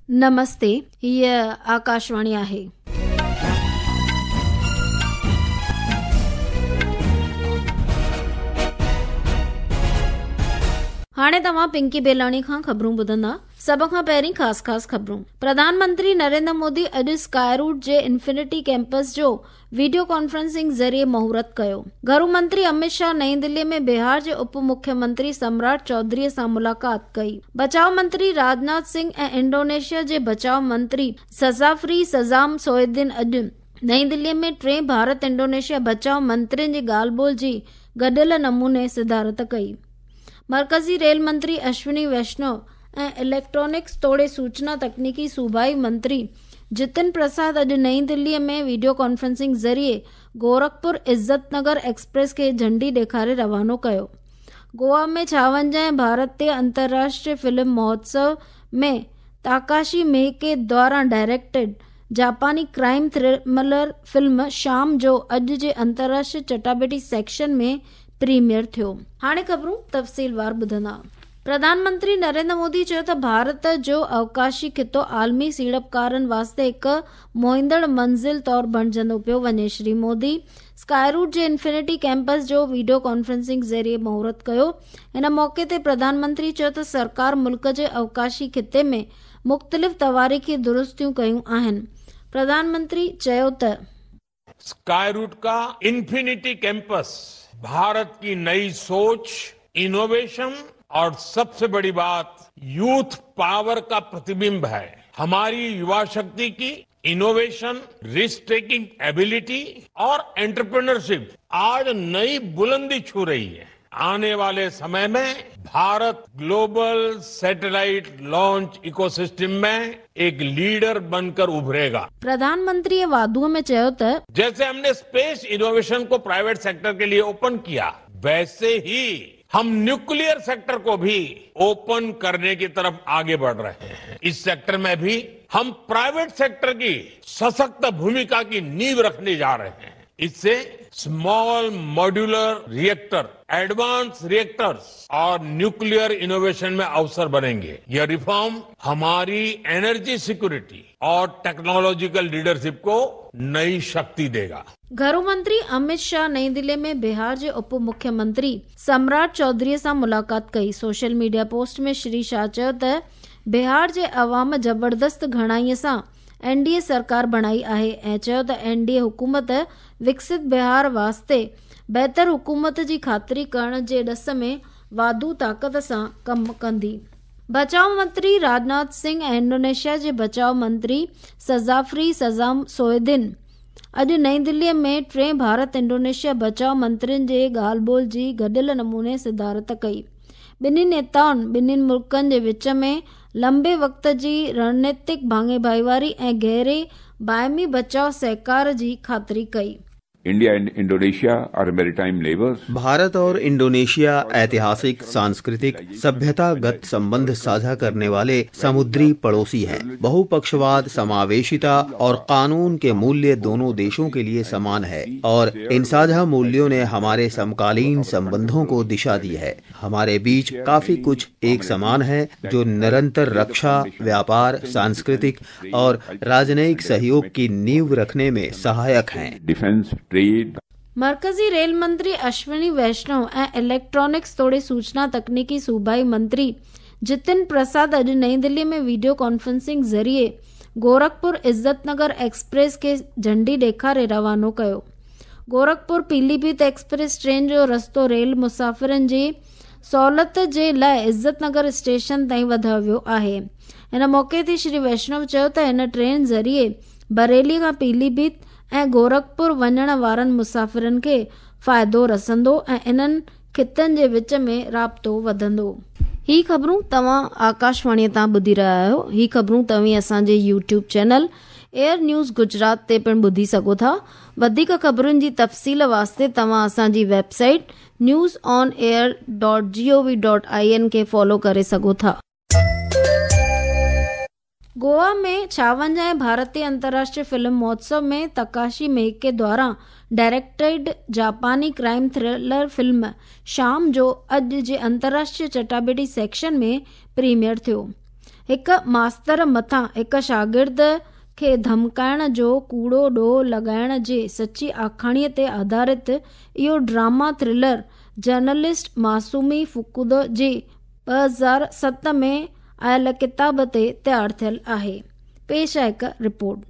نمستي، هيء آڪاشواڻي آهي. هاڻي توهان پنڪي بيلاڻي کان خبرون ٻڌندا. سڀ کان پهرين خاص خاص خبرون. پرڌان منتري نريندر مودي اڄ اسڪائي روٽ جي انفنٽي ڪيمپس جو وڊيو ڪانفرنسنگ ذريعي مهورت ڪيو. گهرو منتري امت شاهه نئين دلي ۾ بهار جي اپ مکيه منتري سمراٽ چوڌري سان ملاقات ڪئي. بچاء منتري راجناٿ سنگهه ۽ انڊونيشيا جي بچاء منتري سزافري سزام سوئدين اڄ نئين دلي ۾ ٽئين ڀارت انڊونيشيا بچاء منترين جي ڳالهه ٻولهه جي گڏيل نموني صدارت ڪئي. مرڪزي ريل منتري اشوني ويشنو ۽ اليڪٽرانڪس توڙي سوچنا تڪنيڪي صوبائي منتري جتن پرساد اڄ نئين دلي ۾ وڊيو ڪانفرنسنگ ذريعي گورکپور عزت نگر ايڪسپريس کي جهنڊي ڏيکاري روانو ڪيو. گوا ۾ ڇاونجاهين ڀارتيه انترراشٽريه فلم مهوتسو ۾ تاڪاشي ميڪي دواران ڊائريڪٽيڊ جاپاني ڪرائيم ٿرلر فلم شام جو اڄ جي انترراشٽريه چٽاڀيٽي سيڪشن ۾ پريميئر ٿيو. هاڻي خبرون تفصيلوار ٻڌندا. پرڌان منتري نريندر مودي چيو ته ڀارت جو اوڪاشي خطو عالمي سيڙپڪارن واسطي هڪ موهيندڙ منزل طور بڻجندو پيو وڃي. شري مودي اسڪائي روٽ جي انفنٽي ڪيمپس جو وڊيو ڪانفرنسنگ ذريعي مهورت ڪيو. ان موقعي تي پرڌان منتري چيو ته سرڪار ملڪ جي اوڪاشي خطي ۾ مختلف تواريخي درستيون ڪيون آهن. پرڌان منتري چيو ته. اسڪائي روٽ کا انفنٽي ڪيمپس ڀارت ڪي نئي سوچ، انوويشن اور سب سي بڙي بات يوٿ پاور کا پرتبمب هي. هماري يووا شڪتي ڪي انوويشن، رسڪ ٽيڪنگ ايبلٽي اور انٽرپرينرشپ آج نئي بلندي ڇو رهي هي. آني والي سمي ۾ Bharat global satellite launch ecosystem ۾ ايڪ ليڊر بن ڪر اڀريگا. پرڌان منتري واڌوء ۾ چيو ته. جيسي هم ني اسپيس انوويشن ڪو پرائيويٽ سيڪٽر ڪي ليي اوپن ڪيا ويسي هي هم نيوڪليئر سيڪٽر ڪو ڀي اوپن ڪرني ڪي طرف آگي بڙه رهي هين. اس سيڪٽر ۾ ڀي هم پرائيويٽ سيڪٽر ڪي سشڪت ڀوميڪا ڪي نيو رکني جا رهي هين. اس سي small modular reactor, advance reactors اور نيوڪليئر انوويشن ۾ اوسر بنينگي. يه ريفارم هماري انرجي سيڪيورٽي اور ٽيڪنالاجيڪل ليڊرشپ ڪو نئي شڪتي ديگا. گهرو منتري امت شاهه نئين دلي ۾ بهار جي اپ مکيه منتري سمراٽ چوڌري سان ملاقات ڪئي. Social media post ۾ Shri Shah چيو ته بهار جي عوام زبردست گهڻائي سان اين ڊي اي سرڪار بڻائي آهي ۽ چيو ته اين ڊي اي حڪومت وڪست بهار واسطي بهتر حڪومت جي خاطري ڪرڻ جي ڏس ۾ واڌو طاقت سان ڪم ڪندي. بچاء منتري راجناٿ سنگهه ۽ انڊونيشيا جي بچاء منتري سزافري سزام سوئدين اڄ نئين دلي ۾ ٽئين ڀارت انڊونيشيا بچاء منترين جي ڳالهه ٻولهه جي گڏيل نموني صدارت ڪئي. ٻنهي نيتائن ٻنهي ملڪن جي وچ ۾ لمبي وقت جي رڻنيتڪ ڀاڱي ڀائيواري ۽ گهري باهمي بچاء سهڪار جي خاطري ڪئي. India and Indonesia are maritime neighbours. Bharat اور انڊونيشيا ઐતિહાસિક, सांस्कृतिक, सभ्यतागत संबंध साझा करने वाले समुद्री पड़ोसी हैं। बहुपक्षवाद, समावेशिता और कानून के मूल्य दोनों देशों के लिए समान है और इन साझा मूल्यों ने हमारे समकालीन संबंधों को दिशा दी है। हमारे बीच काफी कुछ एक समान है जो निरंतर रक्षा, व्यापार, सांस्कृतिक और राजनयिक सहयोग की नींव रखने में सहायक हैं। डिफेंस, ट्रेड, مرڪزي ريل منتري اشوني ويشنو ۽ اليڪٽرانڪس توڙي سوچنا تڪنيڪي صوبائي منتري جتن پرساد اڄ نئين دلي ۾ وڊيو ڪانفرنسنگ ذريعي گورکپور عزت نگر ايڪسپريس کي جهنڊي ڏيکاري روانو ڪيو. گورکپور پيلي ڀيت ايڪسپريس ٽرين جو رستو ريل مسافرن جي سهولت جي لاء عزت نگر اسٽيشن تائين وڌايو ويو آهي. ان موقعي تي شري ويشنو چيو ته هن ٽرين ذريعي بريلي کان پيلي ڀيت ۽ گورکپور وڃڻ وارن مسافرن کي فائدو رسندو ۽ انهن خطن جي وچ ۾ رابطو وڌندو. هي خبرون توهان آڪاشواڻي تان ٻڌي رهيا آهيو. هي خبرون توهين اسان جي YouTube channel air news Gujarat تي پڻ ٻڌي سگهو ٿا. وڌيڪ خبرن جي تفصيل واسطي توهان اسان جي website news on air dot G O V dot I N کي فالو ڪري سگهو ٿا. گوا ۾ ڇاونجاهين ڀارتي انترراشٽريه فلم مهوتسو ۾ تڪاشي ميڪي دواران ڊائريڪٽيڊ جاپاني ڪرائيم ٿرلر فلم شام جو اڄ جي انترراشٽريه چٽاڀيٽي سيڪشن ۾ پريميئر ٿيو. هڪ ماستر مٿان هڪ شاگرد کي ڌمڪائڻ جو ڪوڙو ڏوهه لڳائڻ جي سچي آکاڻيءَ تي آڌارت اهو ڊراما ٿرلر جرنلسٽ ماسومي فڪودو جي 2007 ۾ آيل ڪتاب تي تيار ٿيل آهي. پيش آهي هڪ رپورٽ.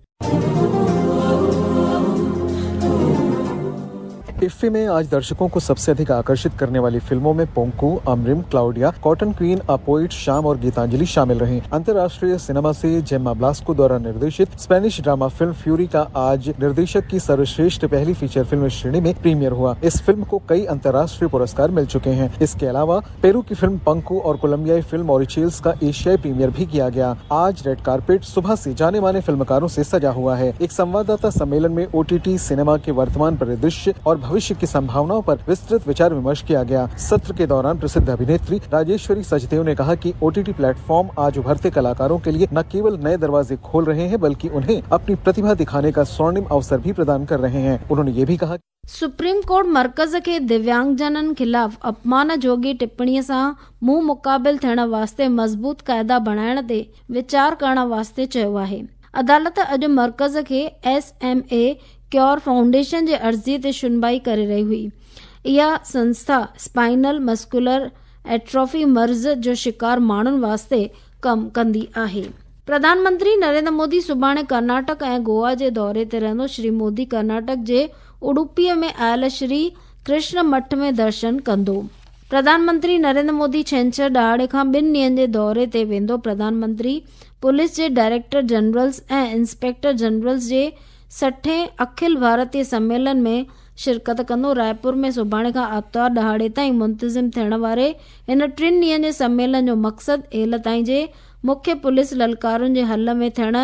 इफ्फी में आज दर्शकों को सबसे अधिक आकर्षित करने वाली फिल्मों में Pongku, Amrim, Claudia, Cotton Queen, a Poet, Shaam और गीतांजलि शामिल रहीं। अंतर्राष्ट्रीय सिनेमा से जेम्मा ब्लास्को द्वारा निर्देशित स्पेनिश ड्रामा फिल्म फ्यूरी का आज निर्देशक की सर्वश्रेष्ठ पहली फीचर फिल्म श्रेणी में प्रीमियर हुआ। इस फिल्म को कई अंतर्राष्ट्रीय पुरस्कार मिल चुके हैं। इसके अलावा पेरू की फिल्म पंकु और कोलंबियाई फिल्म ऑरिचेल्स का एशियाई प्रीमियर भी किया गया। आज रेड कारपेट सुबह से जाने माने फिल्मकारों से सजा हुआ है। एक संवाददाता सम्मेलन में ओटीटी सिनेमा के वर्तमान परिदृश्य और भविष्य की संभावनाओं पर विस्तृत विचार विमर्श किया गया। सत्र के दौरान प्रसिद्ध अभिनेत्री राजेश्वरी सचदेव ने कहा कि ओटीटी प्लेटफॉर्म आज उभरते कलाकारों के लिए न केवल नए दरवाजे खोल रहे हैं, बल्कि उन्हें अपनी प्रतिभा दिखाने का स्वर्णिम अवसर भी प्रदान कर रहे हैं। उन्होंने ये भी कहा, सुप्रीम कोर्ट मर्कज़ खे दिव्यांगजननि ख़िलाफ़ अपमान जोगी टिप्पणीअ सां मुंहुं मुक़ाबिल थियण वास्ते मज़बूत क़ाइदा बणाइण ते वीचार करण वास्ते चयो आहे। अदालत अॼु मर्कज़ खे S M A cure foundation जे अर्ज़ीअ ते शुनवाई करे रही हुई। इहा संस्था स्पाइनल मस्कुलर एट्रोफी मर्ज़ जो शिकार माण्हुनि वास्ते कमु कंदी आहे। प्रधानमंत्री नरेंद्र मोदी सुभाणे कर्नाटक ऐं गोवा जे दौरे ते रहंदो। श्री मोदी कर्नाटक जे उडुपीअ में आयल श्री कृष्ण मठ में दर्शन कंदो। प्रधानमंत्री नरेंद्र मोदी छेंछर ॾहाड़े खां ॿिनि ॾींहनि जे दौरे ते वेंदो। प्रधानमंत्री पुलिस जे डायरेक्टर जनरल्स ऐं इंस्पेक्टर जनरल्स जे 60हें अखिल भारतीय सम्मेलन में शिरकत कंदो। रायपुर में सुभाणे खां आतिवार ॾहाड़े ताईं मुंतज़िम थियण वारे हिन टिनि ॾींहनि जे सम्मेलन जो मक़सदु हेल ताईं जे मुख्य पुलिस ललकारुनि जे हल में थियण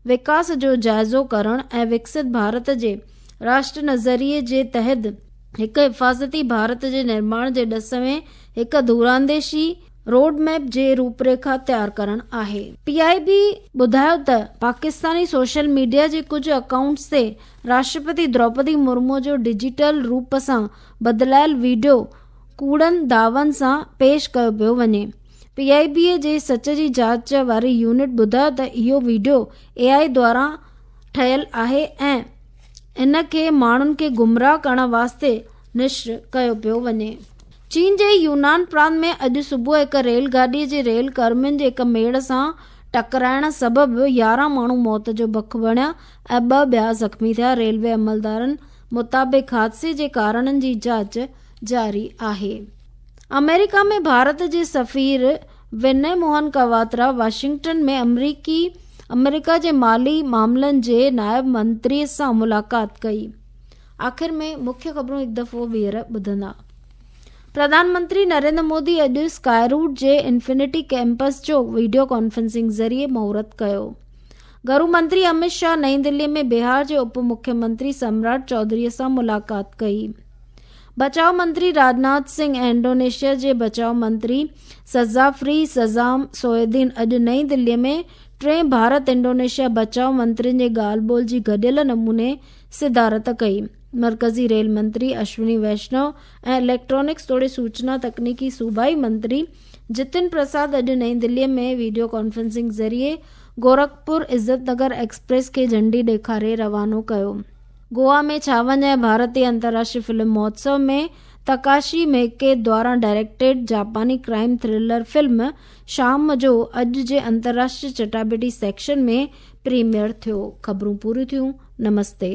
विकास जो जाइज़ो करण ऐं विकसित भारत जे राष्ट्र नज़रिए जे तहत हिकु हिफ़ाज़ती भारत जे निर्माण जे ॾस में हिकु दूरांदेशी रोड मैप जे रूपरेखा तयार करण आहे। पीआईबी ॿुधायो त पाकिस्तानी सोशल मीडिया जे कुझु अकाउंट्स ते राष्ट्रपति द्रौपदी मुर्मू जो डिजिटल रूप सां बदिलायल वीडियो कूड़नि दावन सां पेश कयो पियो वञे। पीआईबी जे सच जी जांच वारी यूनिट ॿुधायो त इहो वीडियो एआई द्वारा ठहियल आहे ऐं इन खे माण्हुनि खे गुमराह करण वास्ते नश्र कयो पियो वञे। चीन जे यूनान प्रांत में अॼु सुबुह हिकु रेलगाॾीअ जे रेल कर्मियुनि जे हिकु मेड़ सां टकराइण सबबु 11 माण्हू मौत जो बख बणिया ऐं 2 ॿिया ज़ख़्मी थिया। रेलवे अमलदारनि मुताबिक़ हादसे जे कारणनि जी जांच जारी आहे। अमेरिका में भारत जे सफ़ीर विनय मोहन कवात्रा वाशिंगटन में अमेरिका जे माली मामलनि जे नायब मंत्रीअ सां मुलाक़ात कई। आख़िर में मुख्य ख़बरूं हिकु दफ़ो ॿीहर ॿुधंदा। प्रधानमंत्री नरेंद्र मोदी अॼु स्काई रूट जे इन्फिनिटी कैंपस जो वीडियो कॉन्फ्रेंसिंग ज़रिए मुहूर्त कयो। गृह मंत्री अमित शाह नई दिल्ली में बिहार जे उप मुख्यमंत्री सम्राट चौधरीअ सां मुलाक़ात कई। बचाव मंत्री राजनाथ सिंह ऐं इंडोनेशिया जे बचाव मंत्री सज़ाफ्री सज़ाम सोएदीन अॼु नई दिल्लीअ में टे भारत इंडोनेशिया बचाव मंत्रियुनि जे ॻाल्हि ॿोल जी गॾियल नमूने सिदारत कई। मर्कज़ी रेल मंत्री अश्विनी वैष्णव ऐं इलेक्ट्रॉनिक्स तोड़े सूचना तकनीकी सूबाई मंत्री जितिन प्रसाद अॼु नई दिल्लीअ में वीडियो कॉन्फ्रेंसिंग ज़रिए गोरखपुर इज़त नगर एक्सप्रेस खे झंडी ॾेखारे रवानो कयो। गोवा में 56 भारतीय अंतर्राष्ट्रीय फिल्म महोत्सव में तकाशी मेके द्वारा डायरेक्टेड जापानी क्राइम थ्रिलर फिल्म शाम जो अॼु जे अंतर्राष्ट्रीय चटाबेटी सेक्शन में प्रीमियर थियो। ख़बरूं पूरियूं थियूं। नमस्ते।